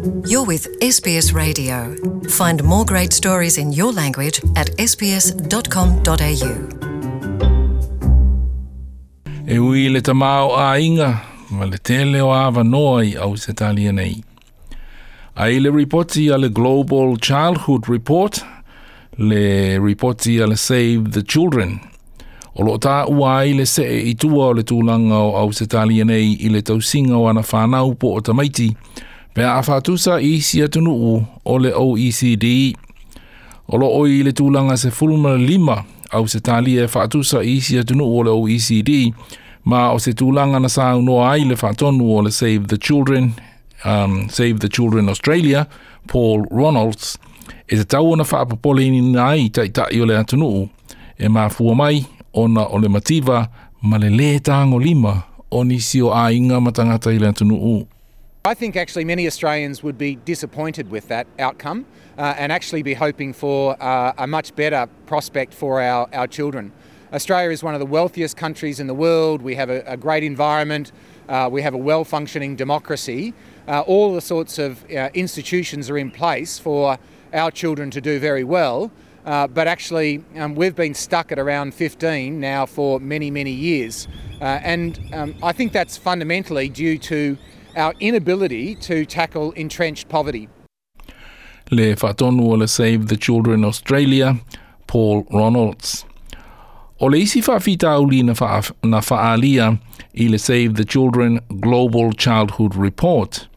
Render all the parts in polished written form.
You're with SBS Radio. Find more great stories in your language at sbs.com.au. E ui le tamaoaiga ma le tele o avanoa i Ausetalia nei. Ai le ripoti a le Global Childhood Report, le ripoti a le Save the Children, o loo taua ai le see i tua o le tulaga o Ausetalia nei i le tausiga o ana fanau po o tamaiti, pe a faatusa i isi atunuu o le OECD. O loo i le tulaga 15 Ausetalia e faatusa i isi atunuu o le OECD, ma o se tulaga na saunoa ai le faatonu o le Save the Children, Save the Children Australia, Paul Ronalds, e tatau ona faapopoleina ai taitai o le atunuu e mafua mai ona o le mativa ma le lē tagolima o nisi o aiga ma tagata i le atunuu. I think actually many Australians would be disappointed with that outcome and actually be hoping for a much better prospect for our children. Australia is one of the wealthiest countries in the world. We have a great environment. We have a well functioning democracy. All the sorts of institutions are in place for our children to do very well. But actually, we've been stuck at around 15 now for many, many years. And I think that's fundamentally due to our inability to tackle entrenched poverty. Le faatonu o le Save the Children Australia, Paul Ronalds. O le isi faafitauli na faaalia i le Save the Children Global Childhood Report,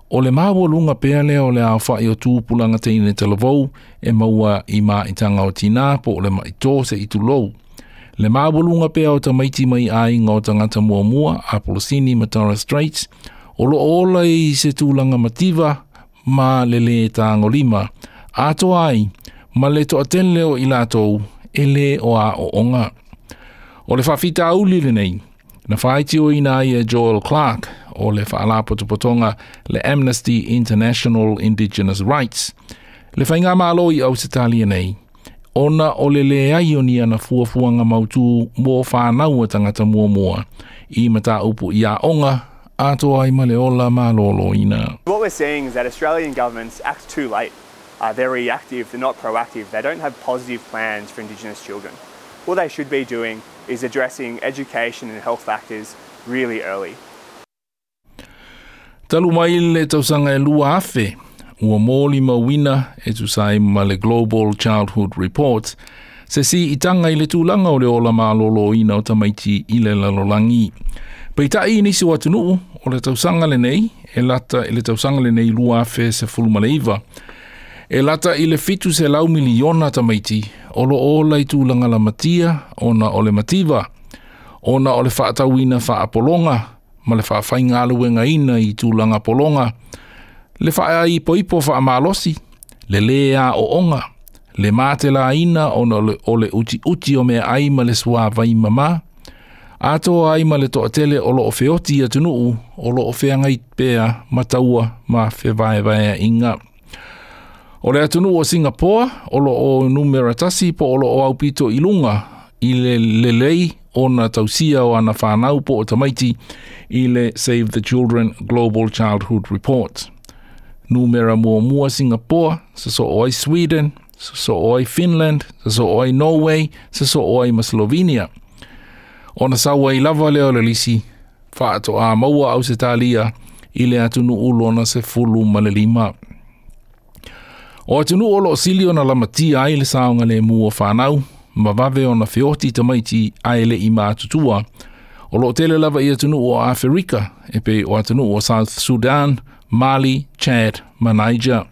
o le maualuga pea lea o le aofai o tupulaga teine talavou e maua i maitaga o tinā po o le ma'i tō se'i tulou. Le maualuga pea o tamaiti mai aiga o tagata muamua, Apolisini ma Torres Straits, o loo ola i se tulaga mativa ma le lē tagolima, atoa ai ma le toatele o i latou e lē o aooga. O le faafitauli lenei, na faitioina ai e Joel Clark o le faalapotopotoga le Amnesty International Indigenous Rights, le faigamalo i Ausetalia nei, ona o le leai o ni ana fuafuaga mautū mo fanau a tagata muamua i mataupu i aoga atoa ai ma le ola malōlōina. What we're seeing is that Australian governments act too late. They're reactive, they're not proactive, they don't have positive plans for Indigenous children. What they should be doing is addressing education and health factors really early. Talu mai le tausaga e 2000, ua molimauina e tusa ai ma le Global Childhood Report, se siitaga i le tulaga o le ola malōlōina o tamaiti i le lalolagi. Peitai i nisi o atunuu o le tausaga lenei, e lata i le tausaga lenei 2019, e lata i le 700 miliona tamaiti o loo ola i tulaga lamatia ona o le mativa, ona o le faatauina faapologa ma le faafaigaluegaina i tulaga pologa, le faaipoipo faamalosi, le lē aooga, le matelaina ona o le utiuti o meaai ma le suāvai mamā, atoa ai ma le toatele o loo feoti i atunuu o loo feagai pea ma taua ma fevaevaeaiga. O le atunuu o Singapoa o loo numera 1 po o loo aupito i luga i le lelei ona tausia o ana fanau po o tamaiti i le Save the Children Global Childhood Report. Numera 1 Singapoa, sosoo ai Sweden, sosoo ai Finland, sosoo ai Norway, sosoo ai ma Slovenia. Ona sau ai lava lea o le lisi, faatoa maua Ausetalia i le atunuu lona 15. O atunuu o loo sili ona lamatia ai le saogalemu o fanau, ma vave ona feoti tamaiti ae le i matutua, o loo tele lava i atunuu o Aferika, e pei o atunuu o South Sudan, Mali, Chad ma Niger.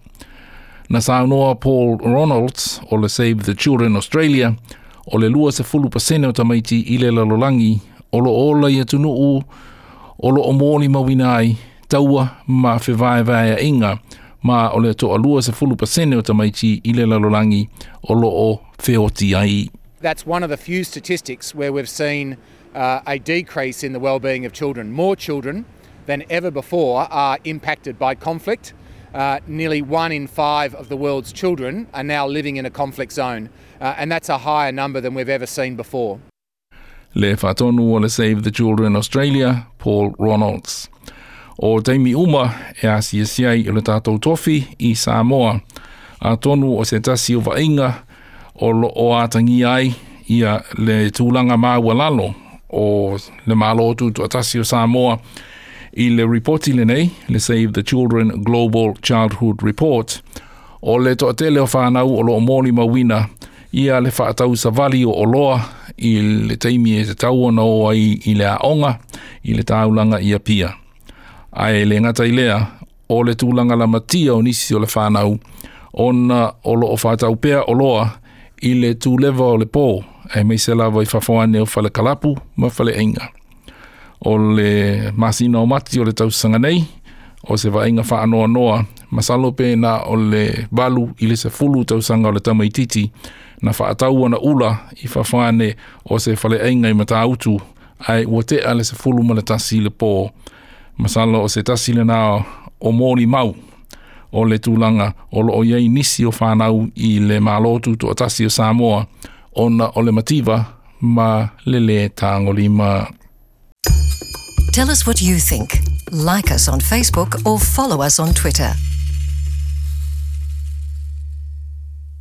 Na saunoa Paul Ronalds o le Save the Children Australia, o le 20% o tamaiti i le lalolagi o loo ola i atunuu o loo molimauina ai taua ma fevaevaeaiga, ma o le toa 20% o tamaiti i le lalolagi o loo feoti ai. That's one of the few statistics where we've seen a decrease in the well-being of children. More children than ever before are impacted by conflict. Nearly one in five of the world's children are now living in a conflict zone, and that's a higher number than we've ever seen before. Le faatonu o le Save the Children Australia, Paul Ronalds. O taimi uma e asiasi ai o le tatou tofi i Samoa. Atonu o se tasi o vaaiga o loo atagia ai ia le tulaga maualalo o le Malo Tutoatasi o Samoa i le ripoti lenei, le Save the Children Global Childhood Report, o le toatele o fanau o loo molimauina ia le faatau savali o oloa i le taimi e tatau ona o ai i le aoga i le taulaga i Apia. Ae le gata i lea, o le tulaga lamatia o nisi o le fanau ona o loo faatau pea oloa i le tuleva o le po, aemaise lava i fafo ane o fale kalapu ma fale aiga. O le masina o Mati o le tausaga nei, o se vaaiga faanoanoa, masalo pe na o le 8 i le 10 tausaga o le tamaititi na faatau ana ula i fafo ane o se faleaiga i Matautu, ae ua tea le 11 i le po. Masalo o se tasi lena o molimau o le tulaga o loo i ai nisi o fanau i le Malo Tutoatasi o Samoa ona o le mativa ma le lē tagolima. Tell us what you think. Like us on Facebook or follow us on Twitter.